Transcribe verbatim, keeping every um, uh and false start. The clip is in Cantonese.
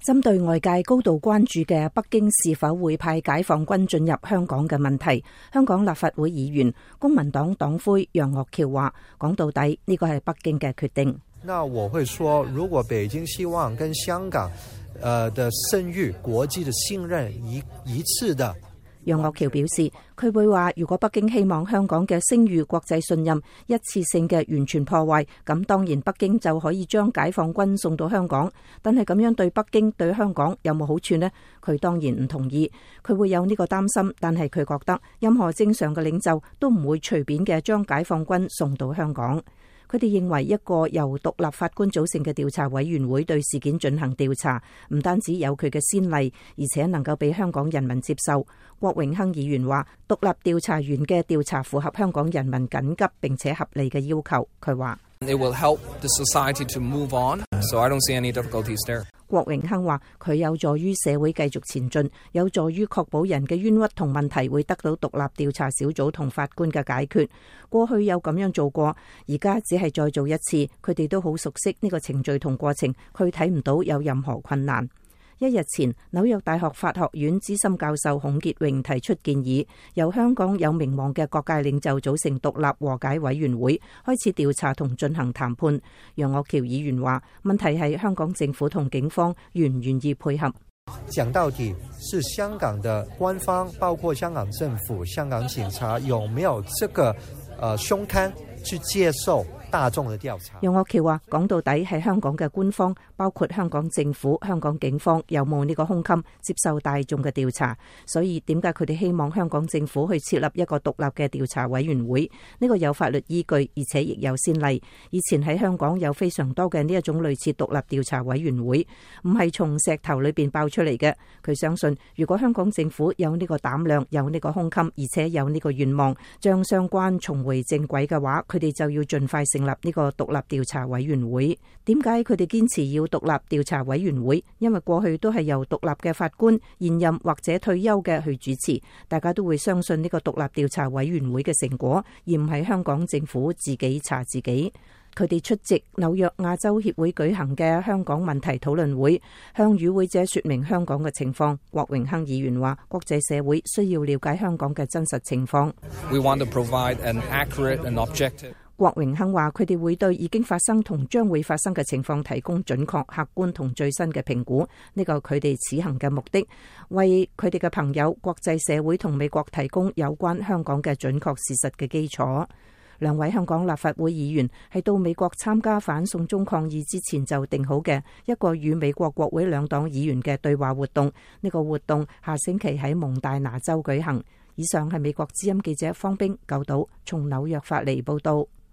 針對外界高度關注嘅北京是否會派解放軍進入香港嘅問題，香港立法會議員公民黨黨魁楊岳橋話：講到底呢個係北京嘅決定。那我會說，如果北京希望跟香港，呃的聲譽、國際的信任一一致的。楊岳橋表示，佢會話，如果北京希望香港嘅聲譽、國際信任一次性嘅完全破壞，咁當然北京就可以將解放軍送到香港。但係咁樣對北京、對香港有冇好處呢？佢當然唔同意。佢會有呢個擔心，但係佢覺得任何正常嘅領袖都唔會隨便嘅將解放軍送到香港。佢哋認為一個由獨立法官組成嘅調查委員會對事件進行調查，唔單止有佢嘅先例，而且能夠俾香港人民接受。郭榮鏗議員話，獨立調查員嘅調查符合香港人民緊急並且合理嘅要求。佢話It will help the society to move on, so I don't see any difficulties there. 郭榮鏗話，佢有助於社會繼續前進，有助於確保人嘅冤屈同問題會得到獨立調查小組同法官嘅解決。過去有咁樣做過，而家只係再做一次。佢哋都好熟悉呢個程序同過程，佢睇唔到有任何困難。一日前，紐約大學法學院資深教授孔傑榮提出建議，由香港有名望嘅各界領袖組成獨立和解委員會，開始調查同進行談判。楊岳橋議員話，問題係香港政府同警方願唔願意配合。講到底是香港的官方，包括香港政府、香港警察，有沒有這個呃胸襟去接受大眾的調查？楊岳橋話，講到底係香港嘅官方，包括香港政府、香港警方有冇呢個胸襟接受大眾嘅調查？所以點解佢哋希望香港政府去設立一個獨立嘅調查委員會？呢個有法律依據，而且亦有先例。以前喺香港有非常多嘅呢一種類似獨立調查委員會，唔係從石頭裏邊爆出嚟嘅。佢相信，如果香港政府有呢個膽量、有呢個胸襟，而且有呢個願望，將相關重回正軌嘅話，佢哋就要盡快成立呢個獨立調查委員會。點解佢哋堅持要獨立調查委員會？因為過去都係由獨立嘅法官、現任或者退休嘅去主持，大家都會相信呢個獨立調查委員會嘅成果，而唔係香港政府自己查自己。佢哋出席紐約亞洲協會舉行嘅香港問題討論會，向與會者說明香港嘅情況。郭榮鏗議員話，國際社會需要了解香港嘅真實情況。We want to provide an accurate and objective. 郭榮鏗話，佢哋會對已經發生同將會發生嘅情況提供準確、客觀同最新嘅評估。呢個佢哋此行嘅目的，為佢哋嘅朋友、國際社會同美國提供有關香港嘅準確事實嘅基礎。兩位香港立法會議員係到美國參加反送中抗議之前就定好嘅一個與美國國會兩黨議員嘅對話活動。呢個活動下星期喺蒙大拿州舉行。以上係美國之音記者方冰九島從紐約發嚟報道。